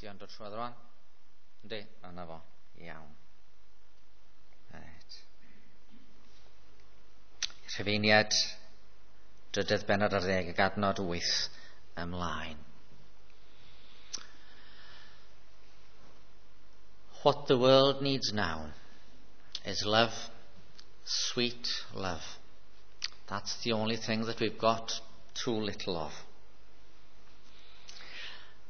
Di o'n dod trwodd rwan? Yndi, yna fo. Iawn. Right. Rhufeiniaid, 13 ag adnod 8 ymlaen. What the world needs now is love, sweet love. That's the only thing that we've got too little of.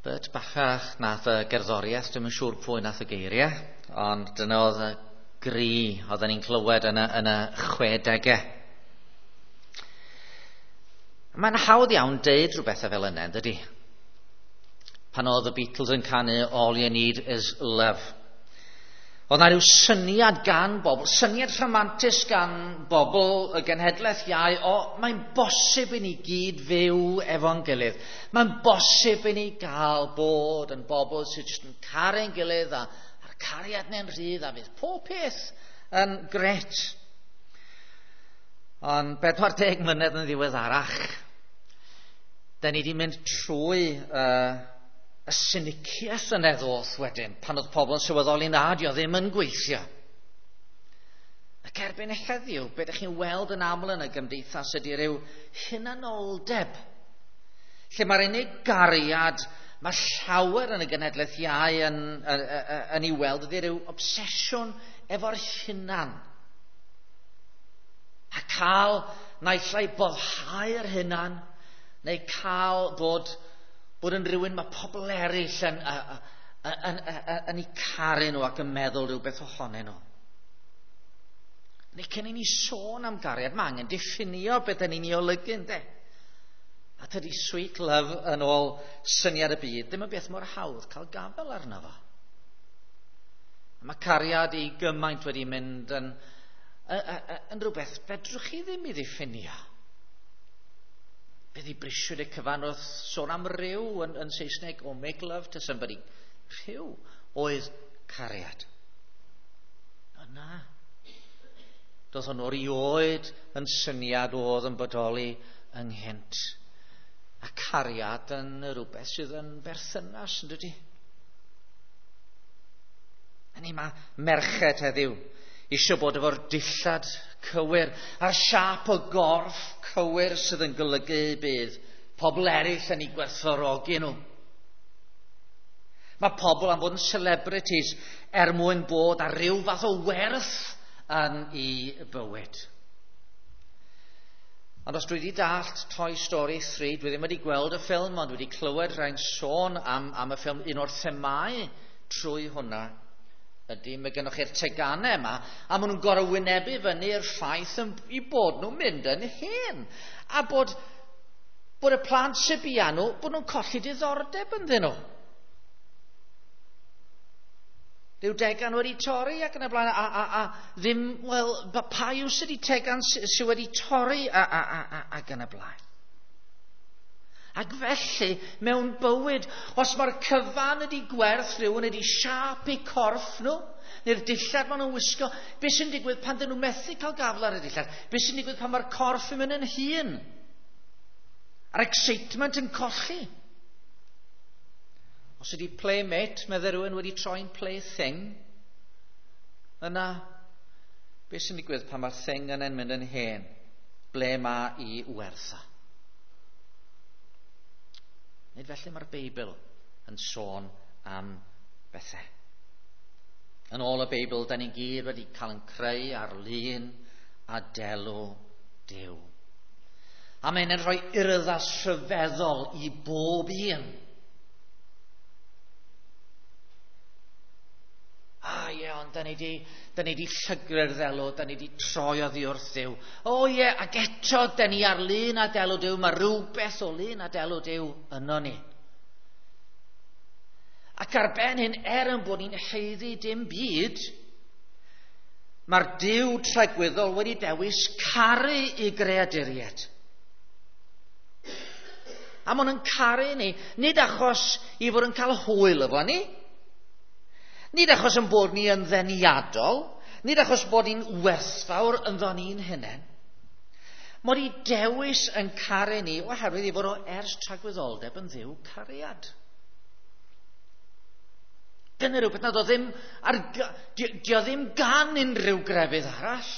Bert Bacharach nath y gerddoriaeth, dwi'm yn siŵr pwy nath y geiriau, ond dyna oedd y gri oedden ni'n clywed yn y 60au. Mae'n hawdd iawn deud rhywbeth fel yna, dydy? Pan oedd y Beatles yn canu "All You Need Is Love". Oedd na rhyw syniad gan bobl, syniad rhamantus gan bobl y genhedlaeth iau, o, mae'n bosib i ni gyd fyw efo'n gilydd. Mae'n bosib i ni gael bod yn bobl sydd jyst yn caru'n gilydd a'r cariad neu'n rhydd a fydd pob peth yn gret. Ond 40 mlynedd yn ddiweddarach, da ni wedi mynd trwy y siniciaeth yna ddoth wedyn, pan oedd pobl yn sylweddoli na, di o ddim yn gweithio. Ac erbyn heddiw, be ydych chi'n weld yn aml yn y gymdeithas ydy rhyw hunanoldeb, lle mae'r unig gariad mae llawer yn y genhedlaeth iau yn ei weld ydy rhyw obsesiwn efo'r hunan. A cael naill ai boddhau'r hunan, neu cael bod yn rhywun mae pobl eraill yn eu caru nhw ac yn meddwl rhywbeth ohonyn nhw. Neu cyn i ni sôn am gariad, mae angen diffinio beth ydyn ni'n ei olygu, ynddo? A tydi sweet love yn ôl syniad y byd ddim yn beth mor hawdd cael gafel arno fo. A mae cariad i gymaint wedi mynd yn rhywbeth fedrwch chi ddim i ddiffinio. Beth i brisiwyd y cyfan wrth sôn am ryw yn Saesneg, o make love to somebody. Rhyw oedd cariad. O na. Doedd hwn erioed yn syniad oedd yn bodoli ynghynt. A cariad yn rhywbeth sydd yn berthynas, yn dydy? A ni mae merched heddiw eisiau bod efo'r dillad cywir a'r siâp o gorff cywir sydd yn golygu bydd pobl eraill yn ei gwerthfawrogi nhw. Mae pobl am fod yn celebrities er mwyn bod ar ryw fath o werth yn ei bywyd. Ond os dwi wedi dallt Toy Story 3, dwi ddim wedi gweld y ffilm, ond dwi wedi clywed rhai'n sôn am y ffilm. Un o'r themau trwy hwnna ydy, mae gennych chi'r teganau yma, a maen nhw'n gorfod wynebu fyny'r ffaith i bod nhw'n mynd yn hen. A bod y plant sy'n bia nhw, bod nhw'n colli diddordeb ynddyn nhw. Rhyw degan wedi torri ac yn y blaen, a ddim, wel, pa yw sydd wedi tegan sydd wedi torri ac yn y blaen. Ac felly, mewn bywyd, os mae'r cyfan ydy gwerth rhywun ydy siâp eu corff nhw, neu'r dillad maen nhw'n wisgo, beth sy'n digwydd pan dyn nhw methu cael gafel ar y dillad? Beth sy'n digwydd pan mae'r corff yn mynd yn hŷn? A'r excitement yn colli. Os ydy playmate, meddai rhywun, wedi troi'n plaything, yna, beth sy'n digwydd pan mae'r thing yna'n mynd yn hen? Ble mae i wertha? Nid felly mae'r Beibl yn sôn am bethau. Yn ôl y Beibl, da ni gyd wedi cael yn creu ar lun a delw Duw. A mae'n rhoi urddas rhyfeddol i bob un. A ie, ond da ni di llygru'r ddelw, da ni di troi oddi wrth Dduw. O ie, ac eto, da ni ar lun a delw Duw, mae rhywbeth o lun a delw Duw yno ni. Ac ar ben hyn, er yn bod ni'n haeddu dim byd, mae'r Duw tragwyddol wedi dewis caru i greaduriaid. A maen nhw'n caru ni, nid achos i fod yn cael hwyl efo ni, nid achos yn bod ni yn ddeniadol, nid achos bod ni'n werthfawr ynddo ni'n hunain. Mod i dewis yn caru ni oherwydd i fod o ers tragwyddoldeb yn Dduw cariad. Dyna rhywbeth nad o ddim, ar, di o ddim gan unrhyw grefydd arall.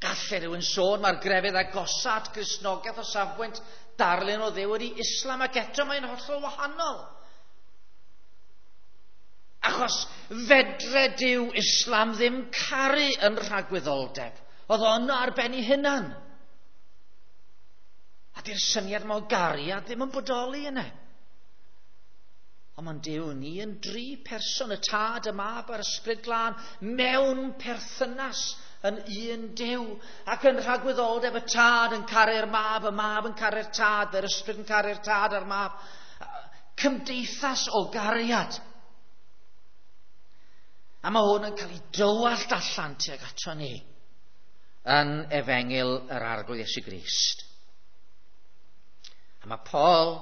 Gallai rhywun sôn mae'r grefydd agosa at Gristnogaeth o safbwynt darlun o Dduw ydy Islam, ac eto mae'n hollol wahanol. Achos fedre Duw Islam ddim caru yn rhagwyddoldeb. Oedd o yno ar ben ei hunan. A di'r syniad yma o gariad ddim yn bodoli yna. Ond mae'n Duw ni yn dri person, y Tad, y Mab a'r Ysbryd Glân, mewn perthynas yn un Duw. Ac yn rhagwyddoldeb y Tad yn caru'r Mab, y Mab yn caru'r Tad, yr Ysbryd yn caru'r Tad a'r Mab. Cymdeithas o gariad. A mae hwn yn cael ei dywallt allan tuag ato ni yn Efengyl yr Arglwydd Iesu Grist. A mae Paul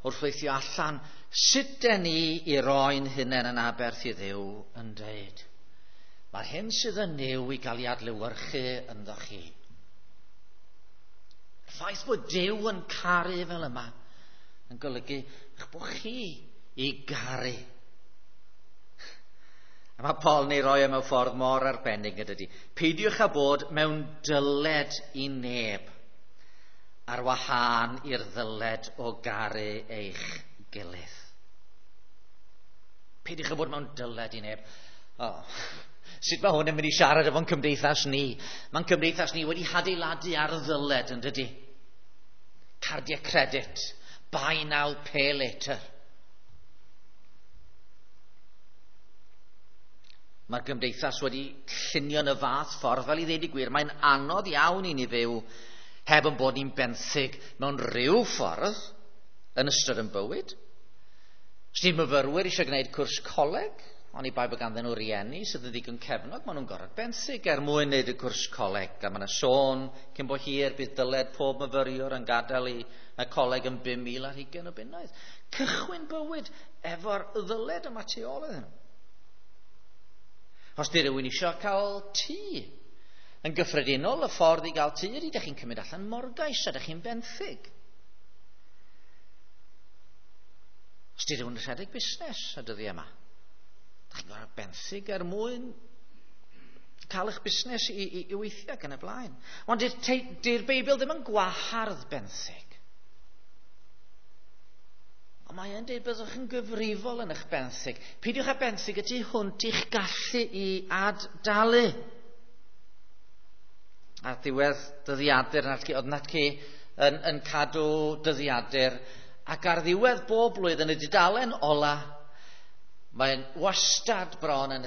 wrth weithio allan sut den ni i roi'n hunain yn aberth i Dduw yn dweud, mae'r hyn sydd yn Nuw i gael ei adlewyrchu ynddo chi. Y ffaith bod Duw yn caru fel yma yn golygu eich bod chi i garu. A mae Paul yn ei roi e mewn ffordd mor arbennig yn dydy. Peidiwch â bod mewn dyled i neb ar wahân i'r ddyled o garu eich gilydd. Peidiwch â bod mewn dyled i neb. Oh. Sut mae hwn yn mynd i siarad efo'n cymdeithas ni? Mae'n cymdeithas ni wedi hadeiladu ar ddyled yn dydy. Cardiau credit. Buy now, pay later. Mae'r gymdeithas wedi llunio yn y fath ffordd, fel i ddeud y gwir, mae'n anodd iawn i ni fyw heb yn bod ni'n benthyg mewn rhyw ffordd yn ystod yn bywyd. Os di myfyrwyr eisiau gwneud cwrs coleg, ond i bai bod ganddyn nhw rieni sydd yn ddigon cefnog, maen nhw'n gorfod benthyg er mwyn wneud y cwrs coleg. A mae yna sôn cyn bo hir bydd dyled pob myfyriwr yn gadael i y coleg yn 5,000 ar hugain o bunnoedd. Cychwyn bywyd efo'r ddyled yma tu ôl iddyn nhw. Os di rhywun eisiau cael tŷ, yn gyffredinol y ffordd i gael tŷ ydy ydych chi'n cymryd allan morgais a ydych chi'n benthyg. Os di rhywun yn rhedeg busnes y dyddiau yma, ydych chi'n gorfod benthyg er mwyn cael eich busnes i weithio ac yn y blaen. Ond di'r Beibl ddim yn gwahardd benthyg. Ond mae e'n dweud byddwch yn gyfrifol yn eich benthyg. Peidiwch â benthyg y tu hwnt i'ch gallu i ad-dalu. A ddiwedd dyddiadur, oedd Natci yn cadw dyddiadur, ac ar ddiwedd bob blwyddyn y dudalen ola, mae'n wastad bron yn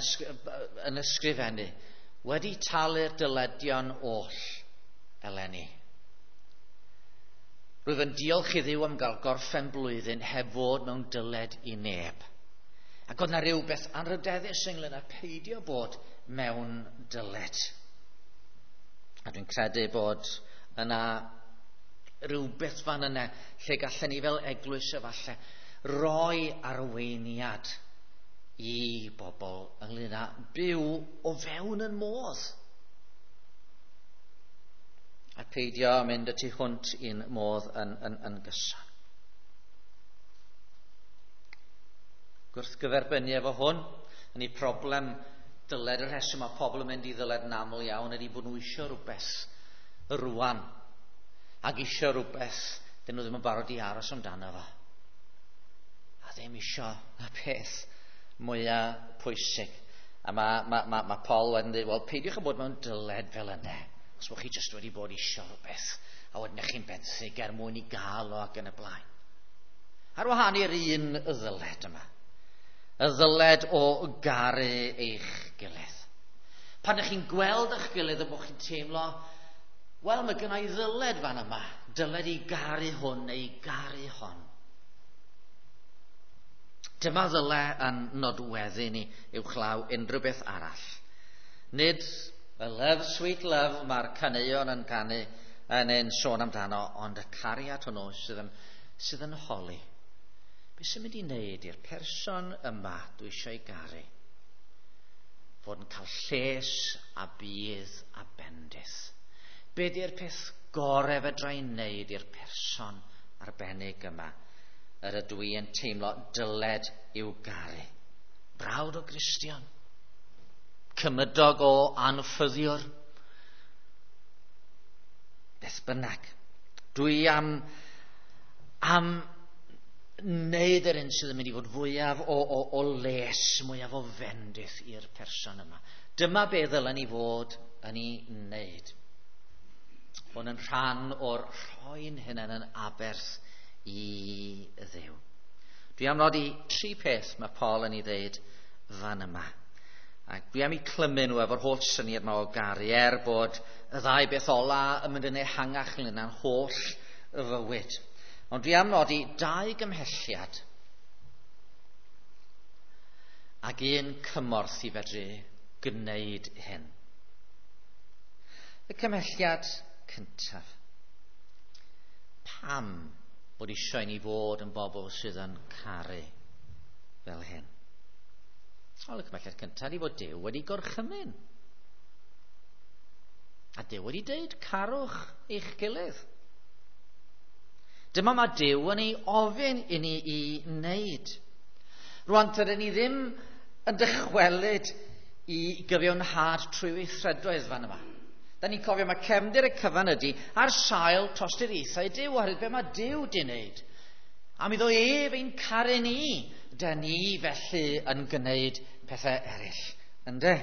ysgrifennu, wedi talu'r dyledion oll eleni. Rwyf yn diolch i Dduw am gael gorffen blwyddyn heb fod mewn dyled i neb. Ac oedd na rhywbeth anrhydeddus ynglyn â peidio bod mewn dyled. A dwi'n credu bod yna rhywbeth fan yna lle gallen ni fel eglwys efallai roi arweiniad i bobl ynglyn â byw o fewn yn modd. A peidio mynd y tu hwnt i'n modd yn gyson. Gwrthgyferbynnu efo hwn, yn ei problem dyled, y rheswm mae pobl yn mynd i ddyled yn aml iawn ydy bod nhw eisiau rhywbeth rwan. Ac eisiau rhywbeth dyn nhw ddim yn barod i aros amdano fo. A ddim eisiau y peth mwyaf pwysig. A mae Paul wedyn dweud, wel, peidiwch â bod mewn dyled fel yna. Os bod chi jyst wedi bod eisiau rhywbeth, a wedyn eich chi'n benthyg er mwyn i gael o ac yn y blaen. Ar wahân i'r un ddyled yma, y ddyled o garu eich gilydd. Pan ydych chi'n gweld eich gilydd a bod chi'n teimlo, wel, mae gynna i ddyled fan yma, dyled i garu hwn neu garu hon. Dyma ddyle yn nodweddu ni uwchlaw unrhyw beth arall. Nid y love, sweet love mae'r caneuon yn canu yn ein sôn amdano, ond y cariad hwnnw sydd yn holi. Be sy'n mynd i wneud i'r person yma dwi eisiau ei garu? Fod yn cael lles a budd a bendith. Be di'r peth gorau fedra i wneud i'r person arbennig yma yr ydw i yn teimlo dyled i'w garu. Brawd o Gristion, cymydog o anffyddiwr, beth bynnag. Dwi am wneud yr un sydd yn mynd i fod fwyaf o les, mwyaf o fendith i'r person yma. Dyma be ddylen ni fod yn ei wneud. Hwn yn rhan o'r rhoi'n hunain yn aberth i Dduw. Dwi am nodi tri peth mae Paul yn ei ddeud fan yma. Ac dwi am eu clymu nhw efo'r holl syniad yma o garu, er bod y ddau beth ola yn mynd yn ehangach ynglyn â'n holl fywyd. Ond dwi am nodi dau gymhelliad ac un cymorth i fedru gwneud hyn. Y cymhelliad cyntaf. Pam bod eisiau ni fod yn bobl sydd yn caru fel hyn? Wel, y cymhelliad cyntaf ydy fod Duw wedi gorchymyn. A Duw wedi dweud, carwch eich gilydd. Dyma mae Duw yn ei ofyn i ni i wneud. Rwan, tydyn ni ddim yn dychwelyd i gyfiawnhad trwy weithredoedd fan yma. Da ni'n cofio mae cefndir y cyfan ydy ar sail tosturiaethau Duw, oherwydd be mae Duw di wneud. Am iddo ef ein caru ni, da ni felly yn gwneud pethau eraill, ynde?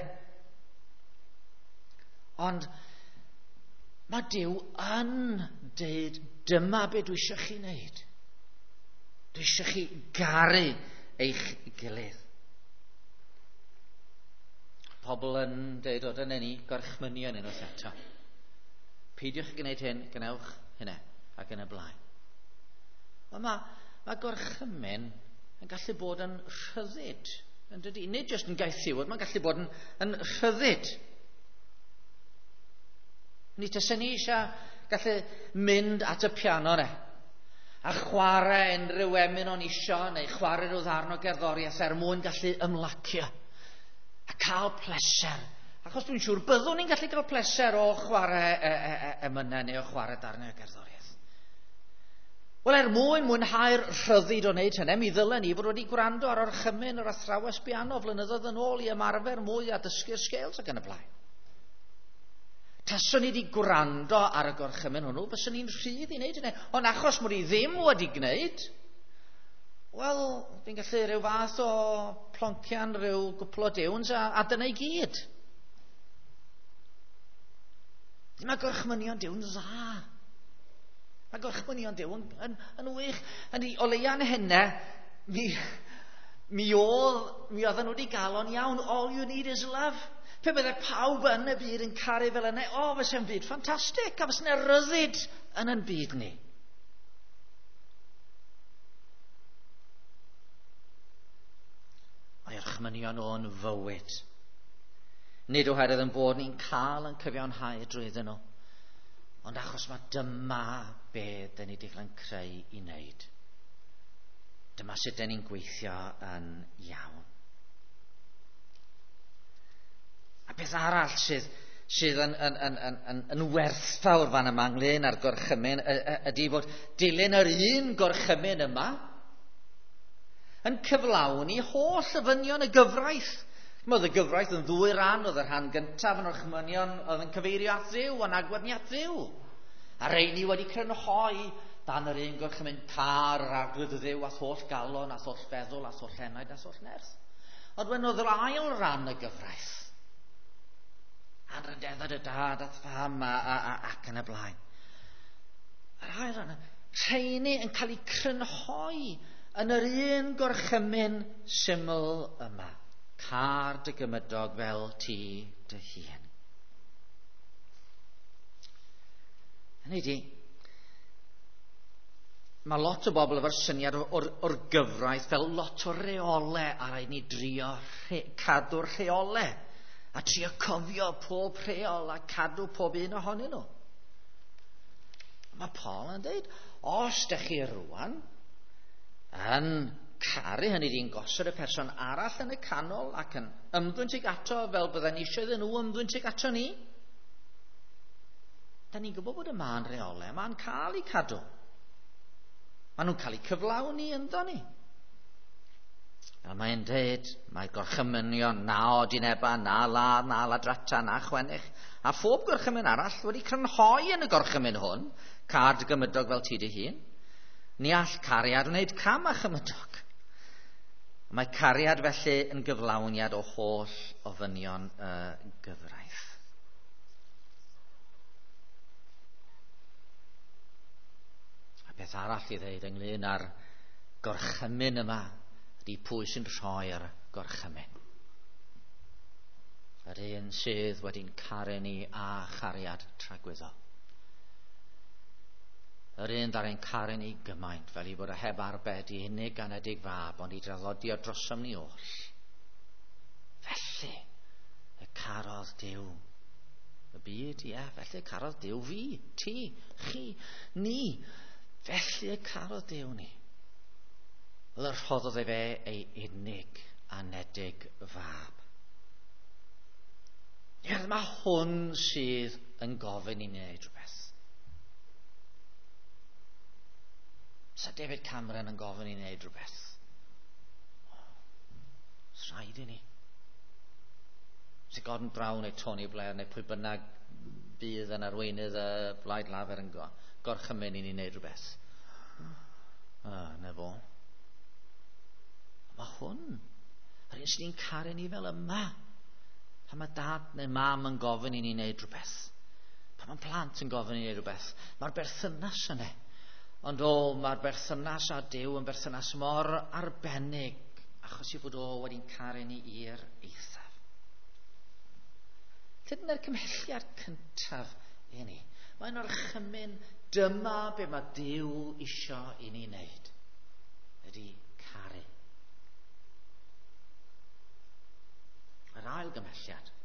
Ond mae Duw yn deud, dyma be dwi eisiau chi wneud. Dwi eisiau chi garu eich gilydd. Pobl yn deud, o, dyna ni, gorchmynion unwaith eto. Peidiwch gwneud hyn, gwnewch hynna, ac yn y blaen. Wel, mae gorchymyn yn gallu bod yn rhyddid, yn dydy? Nid jyst yn gaethiwod, mae'n gallu bod yn rhyddid. Ni taswn ni eisiau gallu mynd at y piano ne, a chwarae unrhyw emyn o'n isio, neu chwarae rhyw ddarn o gerddoriaeth er mwyn gallu ymlacio a cael pleser. Achos dwi'n siŵr byddwn ni'n gallu cael pleser o chwarae emynau neu o chwarae darnau o gerddoriaeth. Wel, er mwyn mwynhau'r rhyddid o wneud hynny, mi ddylen ni fod wedi gwrando ar orchymyn yr athrawes piano flynyddoedd yn ôl i ymarfer mwy a dysgu'r scales ac yn y blaen. Taswn ni wedi gwrando ar y gorchymyn hwnnw, fyswn ni'n rhydd i wneud hynny. Ond achos mod i ddim wedi gwneud, wel, fi'n gallu rhyw fath o ploncian rhyw gwpl o diwns a dyna i gyd. Mae gorchmynion Duw'n dda. Mae gorchmynion Duw yn wych. Yn o leia'n hynna, mi oedden nhw wedi gael o'n iawn. All you need is love. Pe bydde pawb yn y byd yn caru fel yna, o, fyse'n byd ffantastig, a fyse'n ryddid yn ein byd ni. Mae orchmynion o'n fywyd. Nid oherwydd yn bod ni'n cael yn cyfiawnhau drwyddyn nhw, ond achos mae dyma be dyn ni wedi cael yn creu i wneud. Dyma sut dyn ni'n gweithio yn iawn. A beth arall sydd yn werthfawr fan yma ynglyn â'r gorchymyn ydy fod dilyn yr un gorchymyn yma yn cyflawni holl ofynion y gyfraith. Oedd y gyfraith yn ddwy ran, oedd y rhan gyntaf yn orchmynion oedd yn cyfeirio at Dduw, yn agwedd ni at Dduw. A rheini wedi crynhoi dan yr un gorchymyn, car yr arglwydd Dduw a'th holl galon, a'th holl feddwl, a'th holl enaid, a'th holl nerth. Ond wedyn oedd yr ail ran y gyfraith, anrhydeddau dy dad a'th fam ac yn y blaen. Yr ail ran, rheini yn cael eu crynhoi yn yr un gorchymyn syml yma. Car dy gymydog fel ti dy hun. Hynny ydi, mae lot o bobl efo'r syniad o'r gyfraith fel lot o reolau, a rhaid ni drio cadw'r rheolau a trio cofio pob rheol a cadw pob un ohonyn nhw. Mae Paul yn dweud, os dych chi rwan yn caru, hynny ydi'n gosod y person arall yn y canol ac yn ymddwyn tuag ato fel bydden ni eisiau iddyn nhw ymddwyn tuag ato ni, da ni'n gwybod bod y mân reolau, mae'n cael ei cadw. Maen nhw'n cael eu cyflawni ynddo ni. Fel mae'n dweud, mae gorchymynion na odineba, na ladd, na ladrata, na chwennych, a phob gorchymyn arall wedi crynhoi yn y gorchymyn hwn, car dy gymydog fel ti dy hun. Ni all cariad wneud cam â chymydog. Mae cariad felly yn gyflawniad o holl ofynion y gyfraith. A beth arall i ddeud ynglyn â'r gorchymyn yma ydy pwy sy'n rhoi'r gorchymyn. Yr un sydd wedi'n caru ni â chariad tragwyddol. Yr un ddaru'n caru ni gymaint fel i fod o heb arbed i unig anedig fab, ond i draddodi o drosom ni oll. Felly y carodd Duw y byd, ie, felly y carodd Duw fi, ti, chi, ni. Felly y carodd Duw ni. Fel y rhoddodd e fe ei unig anedig fab. Ie, mae hwn sydd yn gofyn i ni wneud rhywbeth. Sa David Cameron yn gofyn i ni wneud rhywbeth. Os rhaid i ni. Sa Gordon Brown neu Tony Blair neu pwy bynnag bydd yn arweinydd y Blaid Lafur yn gorchymyn i ni wneud rhywbeth. Na fo. Mae hwn, yr un sydd ni'n caru ni fel yma. Pan mae dad neu mam yn gofyn i ni wneud rhywbeth. Pan mae plant yn gofyn i ni wneud rhywbeth. Mae'r berthynas yna. Ond o, mae'r berthynas â Duw yn berthynas mor arbennig, achos i fod o wedi'n caru ni i'r eithaf. Dyna'r cymhelliad cyntaf i ni. Mae'n orchymyn, dyma be mae Duw isio i ni wneud. Ydy caru. Yr ail gymhelliad.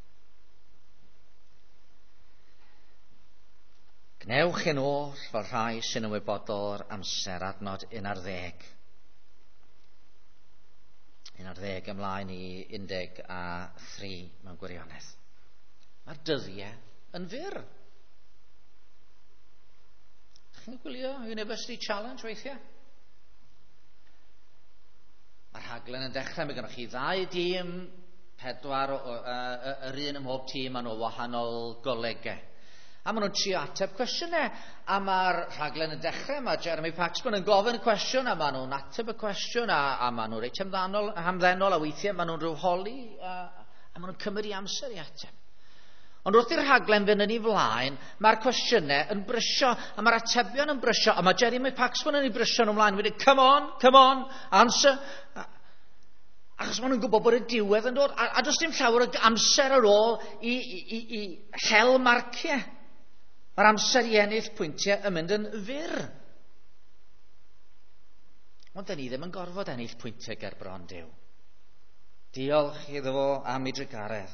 Gwnewch yn oll fel rhai sy'n ymwybodol o'r amser, adnod 11. 11 ymlaen i 13 mewn gwirionedd. Mae'r dyddiau yn fyr. Chi'n gwylio University Challenge weithiau? Mae'r rhaglen yn dechrau, mae gennych chi ddau dîm, 4 yr un ym mhob tîm, maen nhw wahanol golegau. A maen nhw'n trio ateb cwestiynau. A mae'r rhaglen yn dechrau, mae Jeremy Paxman yn gofyn y cwestiwn, a maen nhw'n ateb y cwestiwn, a maen nhw'n reit hamddenol, a weithiau maen nhw'n rhyw holi, a maen nhw'n cymryd i amser i ateb. Ond wrth i'r rhaglen fynd yn ei flaen, mae'r cwestiynau yn brysio, a mae'r atebion yn brysio, a mae Jeremy Paxman yn ei brysio nhw ymlaen. Wedyn, come on, come on, answer. Achos maen nhw'n gwybod bod y diwedd yn dod, a does dim llawer o amser ar ôl i hel marciau. Mae'r amser i ennill pwyntiau yn mynd yn fyr. Ond dyn ni ddim yn gorfod ennill pwyntiau ger bron Duw. Diolch iddo fo am ei drugaredd.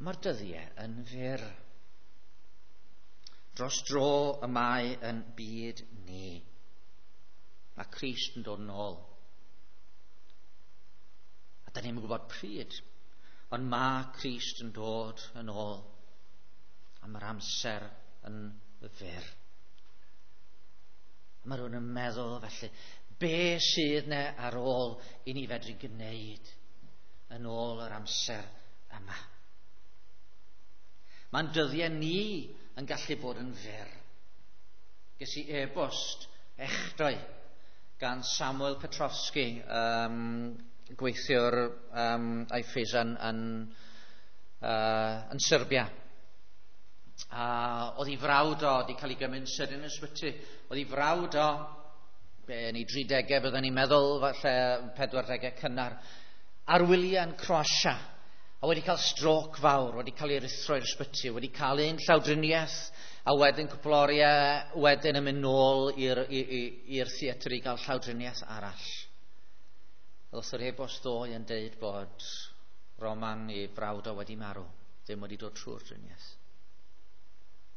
Mae'r dyddiau yn fyr. Dros dro y mae yn byd ni. Mae Crist yn dod yn ôl. A da ni'n gwybod pryd, ond mae Crist yn dod yn ôl. A mae'r amser yn fyr. Mae rhywun yn meddwl felly, be sydd ne ar ôl i ni fedru gwneud yn ôl yr amser yma? Mae'n dyddiau ni yn gallu bod yn fyr. Ges i e-bost echdoi gan Samuel Petrovsky, gweithiwr IFES yn Serbia. A oedd ei frawd o wedi cael ei gymryd yn sydyn yn ysbyty. Oedd ei frawd o, be yn ei 30au byddwn ni'n meddwl, falle 40au cynnar, ar wyliau yn Croatia, a wedi cael stroke fawr, wedi cael ei ruthro i'r ysbyty, wedi cael un llawdriniaeth, a wedyn cwpl oriau wedyn yn mynd nôl i'r theatr i gael llawdriniaeth arall. Ddoth yr e-bost ddoe yn deud bod Roman ei frawd o wedi marw, ddim wedi dod trwy'r driniaeth.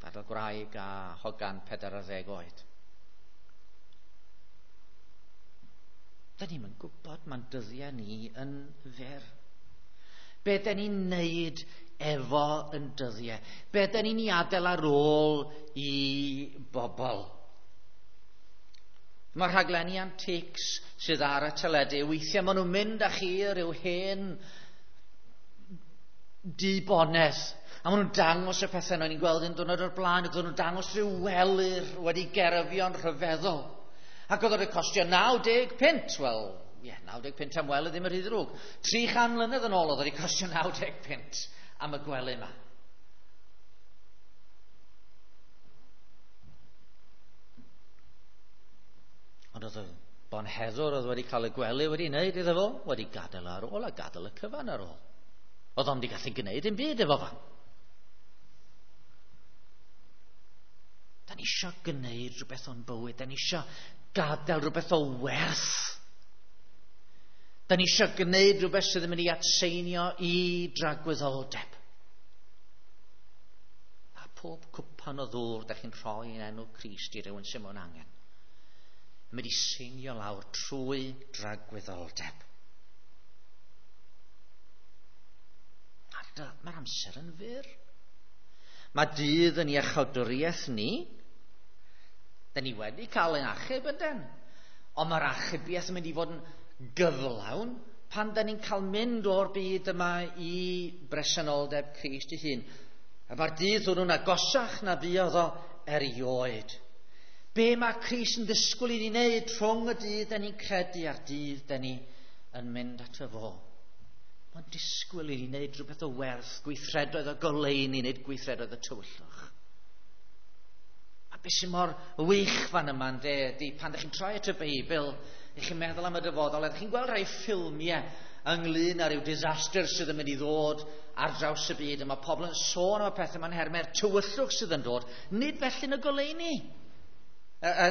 Gadael gwraig a hogan 40 oed. Da ni'm yn gwybod, mae'n dyddiau ni yn fyr. Be da ni'n neud efo yn dyddiau? Be da ni'n ei adael ar ôl i bobl? Mae rhaglenni antiques sydd ar y teledu, weithiau maen nhw'n mynd â chi rhyw hen dibonedd. A maen nhw'n dangos y pethau yna, ni'n gweld un diwrnod o'r blaen, ac oedden nhw'n dangos rhyw welyr wedi gerfio'n rhyfeddol. Ac oedd o'n costio 90 punt. Wel, ie, yeah, 90 punt am wely ddim yn rhy ddrwg. 300 mlynedd yn ôl oedd wedi costio 90 punt am y gwely yma. Ond oedd y bonheddwr oedd wedi cael y gwely wedi wneud iddo fo, wedi gadael ar ôl a gadael y cyfan ar ôl. Oedd o'n wedi gallu gwneud dim byd efo fo. Da ni eisiau gwneud rhywbeth o'n bywyd. Da ni eisiau gadael rhywbeth o werth. Da ni eisiau gwneud rhywbeth sydd yn mynd i atseinio i dragwyddoldeb. A pob cwpan o ddŵr da chi'n rhoi yn enw Crist i rywun sy'n mewn angen, yn mynd i seinio lawr trwy dragwyddoldeb. Mae'r amser yn fyr. Mae dydd yn iachawdwriaeth ni. Da ni wedi cael ein achub yndyn. Ond mae'r achubiaeth yn mynd i fod yn gyflawn pan da ni'n cael mynd o'r byd yma i bresenoldeb Crist ei hun. A mae'r dydd hwnnw'n agosach na fuodd o erioed. Be mae Crist yn ddisgwyl i ni wneud rhwng y dydd da ni'n credu a'r dydd da ni yn mynd ato fo? Mae'n disgwyl i ni wneud rhywbeth o werth, gweithredoedd o goleuni, nid gweithredoedd o tywyllwch. A beth sy'n mor wych fan yma, ynde, ydy pan ydych chi'n troi at y Beibl, ych chi'n meddwl am y dyfodol, ydych chi'n gweld rhai ffilmiau ynglyn â rhyw disaster sydd yn mynd i ddod ar draws y byd, a mae pobl yn sôn am y pethau ma'n hermau'r tywyllwch sydd yn dod, nid felly yn y goleuni.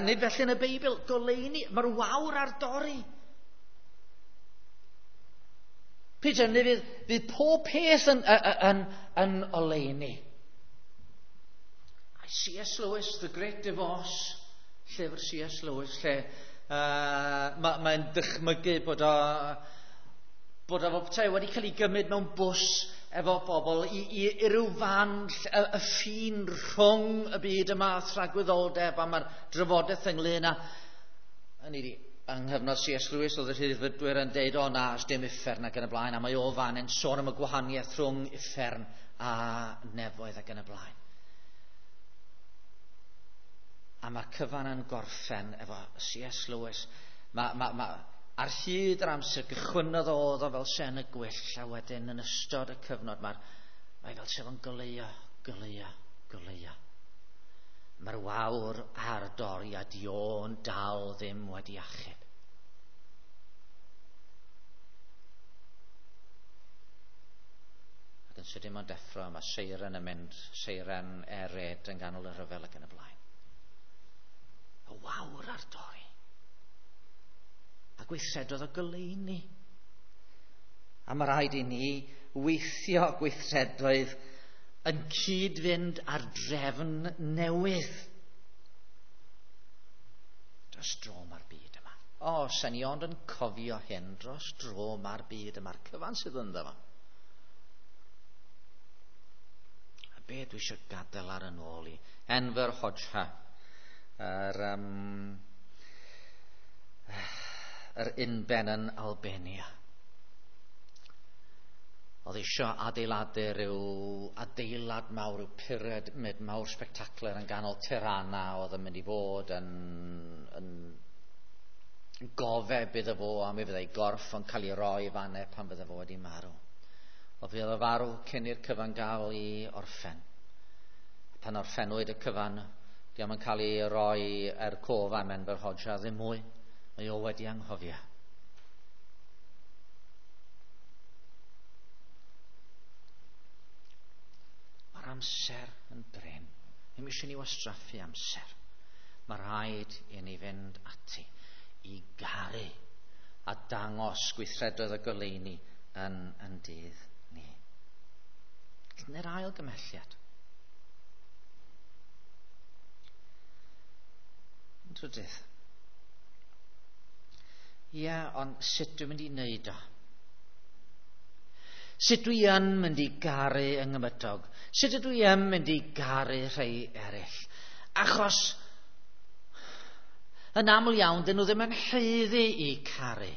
Nid felly yn y Beibl, goleuni, mae'r wawr ar dorri. Peter, neu fydd pob peth yn oleuni. C.S. Lewis, The Great Divorce, llyfr C.S. Lewis, lle mae'n dychmygu bod o petai wedi cael ei gymryd mewn bws efo bobl i ryw fan y ffin rhwng y byd yma a thragwyddoldeb, a mae'r drafodaeth ynglyn â hynny ydi, yng nghyfnod C.S. Lewis oedd y rhyddfrydwyr yn deud, o na, dim uffern ac yn y blaen, a mae o fan yn sôn am y gwahaniaeth rhwng uffern a nefoedd ac yn y blaen. A mae'r cyfan yn gorffen efo C.S. Lewis. Ar hyd yr amser gychwynnodd oedd o fel sen y gwyll, a wedyn yn ystod y cyfnod mae fel sef yn goleuo, goleuo, goleuo. Mae'r wawr ar dorri a dio'n dal ddim wedi achub. Ac yn sydyn mae'n deffro, mae seiren yn mynd, seiren ered yn ganol y rhyfel ac yn y blaen. Y wawr ar dorri. A gweithredodd o goleuni. A mae rhaid i ni weithio gweithredoedd yn cyd-fynd ar drefn newydd. Dros dro mae'r byd yma. O, sen i ond yn cofio hyn, dros dro mae'r byd yma'r cyfan sydd ynddo fo. A be dwi eisiau gadael ar yn ôl i? Enver Hoxha, yr unben yn Albania. Oedd eisiau adeiladu rhyw adeilad mawr, rhyw pyramid mawr spectacular yn ganol Tirana, oedd yn mynd i fod yn gofeb iddo fo, a mi fyddai gorff yn cael ei roi fanne pan fydde fo wedi marw. Oedd fydd o farw cyn i'r cyfan gael ei orffen. Pan orffenwyd y cyfan, diom yn cael ei roi er cof am Enver Hoxha ddim mwy. Mae o wedi anghofio. Mae'r amser yn brin. Ddim eisiau ni wastraffu amser. Mae rhaid i ni fynd ati i garu a dangos gweithredoedd y goleuni yn dydd ni. Dyna'r ail gymhelliad. Yn trydydd. Ie, ond sut dwi'n mynd i wneud o? Sut dwi yn mynd i garu yng nghymydog? Sut ydw i yn mynd i garu rhai eraill? Achos Yn aml iawn, dyn nhw ddim yn haeddu i caru.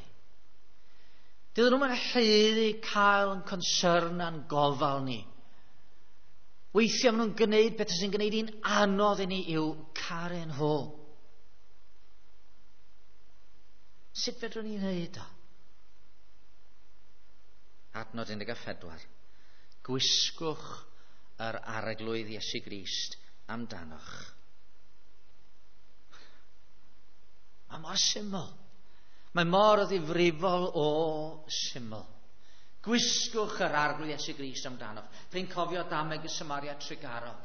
Dyn nhw'm yn haeddu cael yn concern a'n gofal ni. Weithiau maen nhw'n gwneud beth sy'n gwneud hi'n anodd i ni i'w caru nhw. Sut fedrwn ni wneud o? Adnod 14. Gwisgwch yr Arglwydd Iesu Grist amdanoch. Mae mor syml. Mae mor ddifrifol o syml. Gwisgwch yr Arglwydd Iesu Grist amdanoch. Dwi'n cofio dameg y Samaria Trugarog.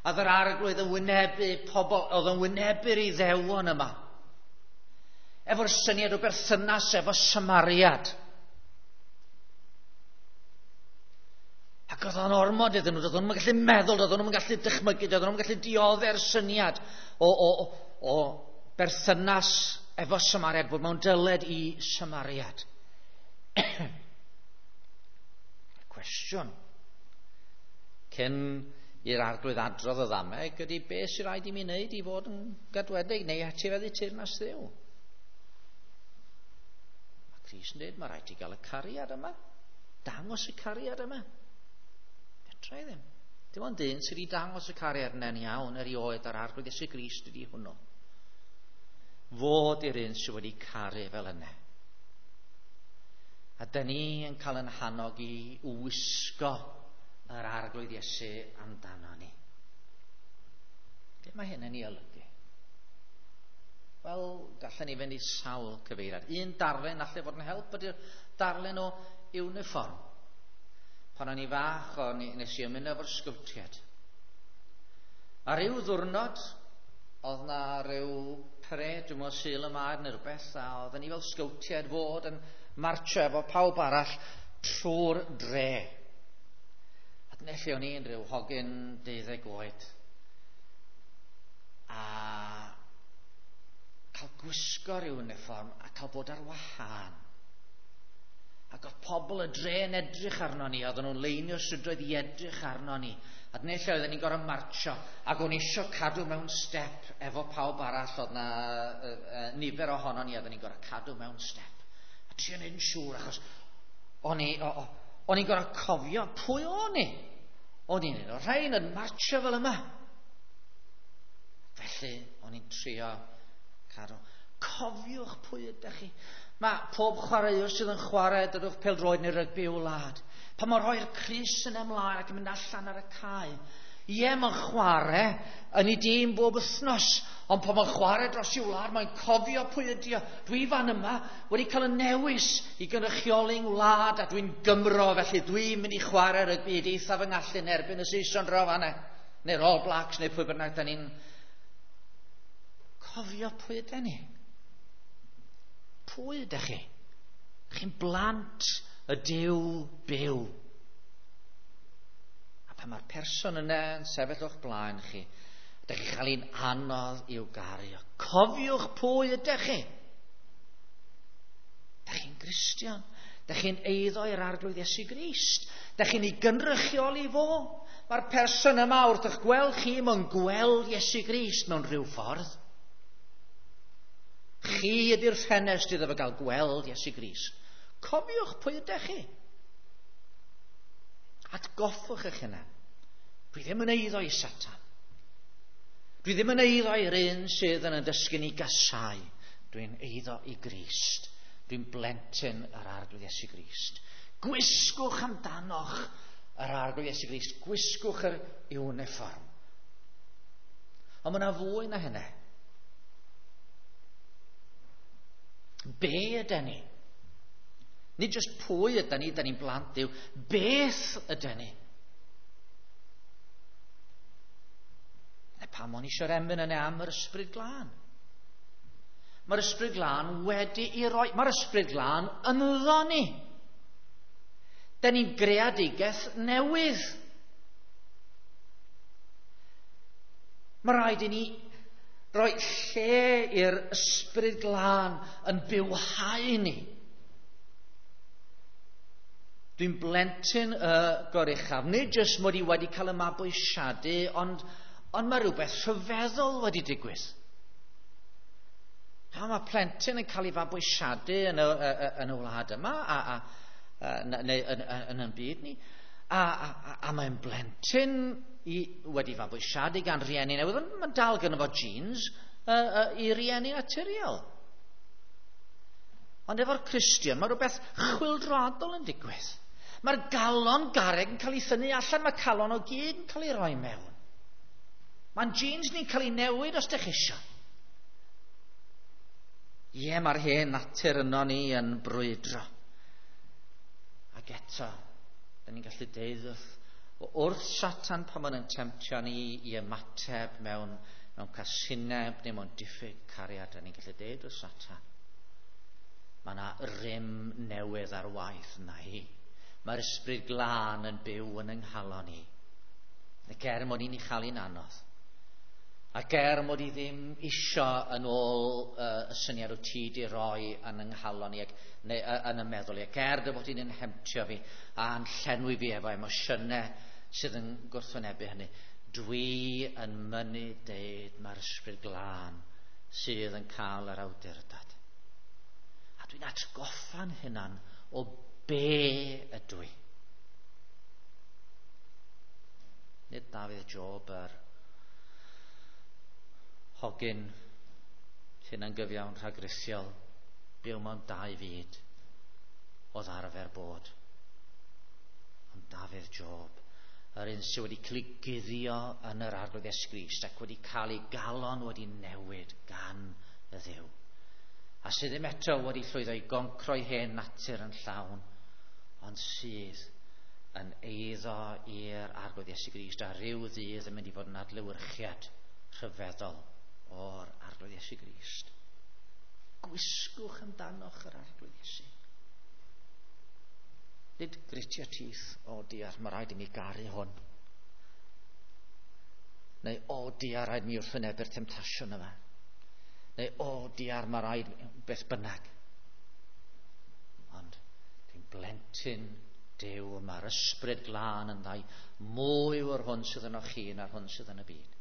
A yr Arglwydd yn wynebu pobl, oedd yn wynebu'r Iddewon yma. Efo'r syniad o berthynas efo Samariad. Ac oedd o'n ormod iddyn nhw, doedden nhw'n gallu meddwl, doedden nhw'n gallu dychmygu, doedden nhw'n gallu diodde'r syniad o berthynas efo Samariad, bod mewn dyled i Samariad. Cwestiwn cyn i'r Arglwydd adrodd y ddameg ydy beth sy'n rhaid i mi wneud i fod yn gadwedig neu etifeddu teyrnas Dduw. Mae Crist yn dweud, mae rhaid i gael y cariad yma. Dangos y cariad yma. Fedra i ddim. Dim ond un sydd wedi dangos y cariad yna'n iawn erioed a'r Arglwydd Iesu Grist ydy hwnnw. Fod i'r un sydd wedi caru fel yna. A dyn ni yn cael yn hannog i wisgo yr Arglwydd Iesu amdano ni. Be mae hyn yn ei olygu? Wel, gallen ni fynd i sawl cyfeiriad. Un darllen allai fod yn help ydy'r darllen o uniform. Pan o'n i fach, nes i ymuno efo'r sgowtiaid. A ryw ddiwrnod, oedd na ryw parade, dwi'n meddwl Sul y Maer neu rhywbeth, a oedden ni fel sgowtiaid fod yn marcho efo pawb arall trwy'r dre. A dyna lle o'n i'n rhyw hogyn 12 oed. A cael gwisgo'r uniform a cael bod ar wahân. Ac oedd pobl y dre yn edrych arno ni, oedden nhw'n leinio strydoedd i edrych arno ni. A dyna lle oedden ni'n gorfod marcho, ac o'n i isio cadw mewn step efo pawb arall, oedd na nifer ohono ni, oedden ni'n gorfod cadw mewn step. A trio neud yn siŵr, achos o'n i'n gorfod cofio pwy o'n i. O'n i'n un o'r rhain yn marcho fel yma. Felly, o'n i'n trio cadw. Cofiwch pwy ydych chi. Mae pob chwaraewr sydd yn chwarae, dydwch pêl-droed neu rygbi o wlad. Pan mae'n rhoi'r crys yn ymlaen ac yn mynd allan ar y cae. Ie, mae'n chwarae yn ei dîm bob wythnos, ond pan mae'n chwarae dros ei wlad, mae'n cofio pwy ydi o. Dwi fan yma wedi cael y newis i gynrychioli'n wlad a dwi'n Gymro, felly dwi'n mynd i chwarae rygbi i eithaf fy ngallu yn erbyn y Saeson draw fan'na, neu'r All Blacks, neu pwy bynnag da ni'n cofio pwy ydy ni. Pwy ydych chi? Chi'n blant y Duw byw. A pan mae'r person yna yn sefyll o'ch blaen chi, ydych chi'n cael un anodd i'w gario. Cofiwch pwy ydych chi. Ydych chi'n Gristion. Ydych chi'n eiddo i'r Arglwydd Iesu Grist. Ydych chi'n ei gynrychioli fo. Mae'r person yma wrth eich gweld chi, mae'n gweld Iesu Grist mewn rhyw ffordd. Chi ydy'r ffenest iddo fo gael gweld Iesu Grist. Cofiwch pwy ydych chi. Atgoffwch eich hunan. Dwi ddim yn eiddo i Satan. Dwi ddim yn eiddo i'r un sydd yn dysgu ni gasau. Dwi'n eiddo i Grist. Dwi'n blentyn yr Arglwydd Iesu Grist. Gwisgwch amdanoch yr Arglwydd Iesu Grist. Gwisgwch yr uniform. Ond mae yna fwy na hynny. Be ydyn ni? Nid jyst pwy ydyn ni, ydyn ni'n blant Duw. Beth ydyn ni? Na pam o'n i eisiau'r emyn yna am yr Ysbryd Glân? Mae'r Ysbryd Glân wedi'i roi. Mae'r Ysbryd Glân ynddo ni. Dyn ni'n greadigaeth newydd. Mae rhaid i ni roi lle i'r Ysbryd Glân yn bywhau ni. Dwi'n blentyn y Goruchaf. Nid jyst mod i wedi cael y mabwysiadu, ond mae rhywbeth rhyfeddol wedi digwydd. Pa mae plentyn yn cael ei fabwysiadu yn y wlad yma, neu yn yn byd ni, a mae'n blentyn wedi fabwysiadu gan rieni newydd, ond mae'n dal gynno fo genes i rieni naturiol. Ond efo'r Cristion, mae rhywbeth chwyldroadol yn digwydd. Mae'r galon garreg yn cael ei thynnu allan, mae calon o gyd yn cael ei roi mewn. Mae'n genes ni'n cael ei newid os dych chi isio. Ie, mae'r hen natur yno ni yn brwydro. Ac eto, da ni'n gallu deud wrth Satan pan mae'n temtio ni i ymateb mewn casineb neu mewn diffyg cariad, da ni'n gallu deud wrth Satan, mae yna rym newydd ar waith yna hi. Mae'r ysbryd glân yn byw yn yng nghalon ni. Ac er mod i'n ei chael hi'n anodd, ac er mod i ddim isio yn ôl y syniad o ti di roi yn yng nghalon i, neu yn y meddwl i, ac er dy fod i'n hemtio fi a'n llenwi fi efo emosiynau sydd yn gwrthwynebu hynny, dwi yn mynnu deud mae'r ysbryd glân sydd yn cael yr awdurdod. A dwi'n atgoffa'n hunan o be ydw i. Nid Dafydd Job yr hogyn hunangyfiawn rhagrithiol, byw mewn dau fyd oedd arfer bod. Ond Dafydd Job, yr un sydd wedi cael ei guddio yn yr Arglwydd Iesu Grist ac wedi cael ei galon wedi newid gan y Dduw. A sydd ddim eto wedi llwyddo i goncroi hen natur yn llawn, ond sydd yn eiddo i'r Arglwydd Iesu Grist a rhyw ddydd yn mynd i fod yn adlewyrchiad rhyfeddol o'r Arglwydd Iesu Grist. Gwisgwch amdanoch yr Arglwydd Iesu. Nid gritio teeth, o diar, mae rhaid i mi garu hwn. Neu, o diar, rhaid mi wrthwynebu'r temtasiwn yma. Neu, o diar, mae rhaid beth bynnag. Ond dwi'n blentyn Duw, mae'r ysbryd glân yn ddau, mwy o'r hwn sydd yno chi na'r hwn sydd yn y byd.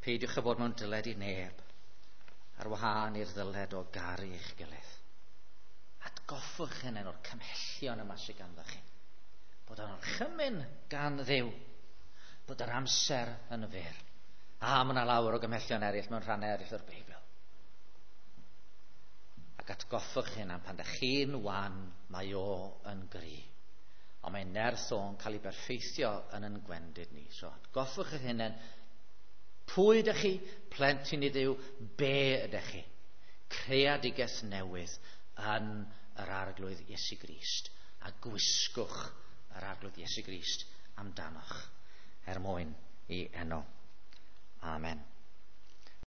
Peidiwch â bod mewn dyled i neb, ar wahân i'r ddyled o garu eich gilydd. Atgoffwch hynny o'r cymhellion yma sydd ganddo chi. Bod o'n orchymyn gan Dduw, bod yr amser yn fyr. A mae yna lawer o gymhellion eraill mewn rhannau eraill o'r Beibl. Ac atgoffwch hynny pan ydych chi'n wan, mae o yn gry. Ond mae nerth o'n cael ei berffeithio yn yn gwendid ni. So atgoffwch eich hunain, pwy ydych chi? Plentyn i Dduw, be ydych chi? Creadigaeth newydd yn yr Arglwydd Iesu Grist. A gwisgwch yr Arglwydd Iesu Grist amdanoch er mwyn i enw. Amen.